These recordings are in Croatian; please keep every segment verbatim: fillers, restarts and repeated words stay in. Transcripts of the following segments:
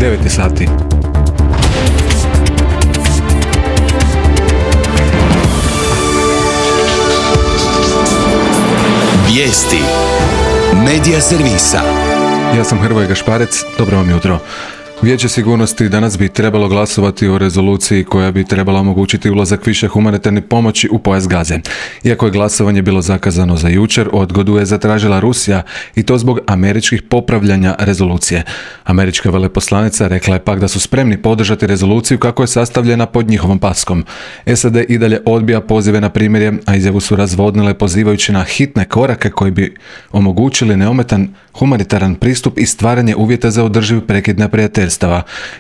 devet sati. Vijesti Medija servisa. Ja sam Hrvoje Gašparec, dobro vam jutro. Vijeće sigurnosti danas bi trebalo glasovati o rezoluciji koja bi trebala omogućiti ulazak više humanitarne pomoći u pojas Gaze. Iako je glasovanje bilo zakazano za jučer, odgodu je zatražila Rusija i to zbog američkih popravljanja rezolucije. Američka veleposlanica rekla je pak da su spremni podržati rezoluciju kako je sastavljena pod njihovom paskom. S A D i dalje odbija pozive na primirje, a izjavu su razvodnile pozivajući na hitne korake koji bi omogućili neometan humanitaran pristup i stvaranje uvjeta za održiv prekid neprijateljstva.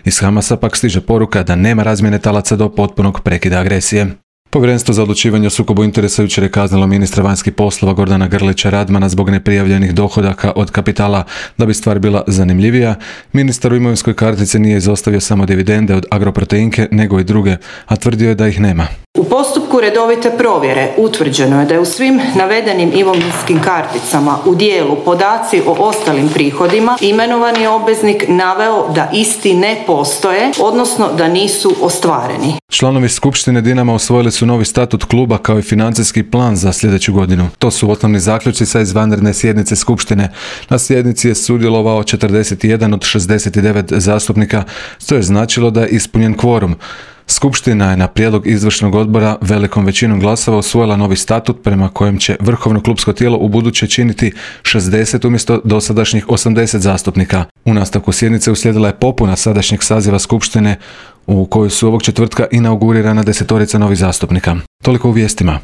Iz Hamasa pak stiže poruka da nema razmjene talaca do potpunog prekida agresije. Povjerenstvo za odlučivanje o sukobu interesa jučer je kaznilo ministra vanjskih poslova Gordana Grlića Radmana zbog neprijavljenih dohodaka od kapitala. Da bi stvar bila zanimljivija, ministar u imovinskoj kartici nije izostavio samo dividende od Agroproteinke, nego i druge, a tvrdio je da ih nema. U postupku redovite provjere utvrđeno je da je u svim navedenim imovinskim karticama u dijelu podaci o ostalim prihodima imenovani obveznik naveo da isti ne postoje, odnosno da nisu ostvareni. Članovi Skupštine Dinama usvojili su novi statut kluba kao i financijski plan za sljedeću godinu. To su osnovni zaključci sa izvanredne sjednice Skupštine. Na sjednici je sudjelovao četrdeset jedan od šezdeset devet zastupnika, što je značilo da je ispunjen kvorum. Skupština je na prijedlog izvršnog odbora velikom većinom glasova usvojila novi statut prema kojem će vrhovno klubsko tijelo ubuduće činiti šezdeset umjesto dosadašnjih osamdeset zastupnika. U nastavku sjednice uslijedila je popuna sadašnjeg saziva Skupštine u kojoj su ovog četvrtka inaugurirana desetorica novih zastupnika. Toliko u vijestima.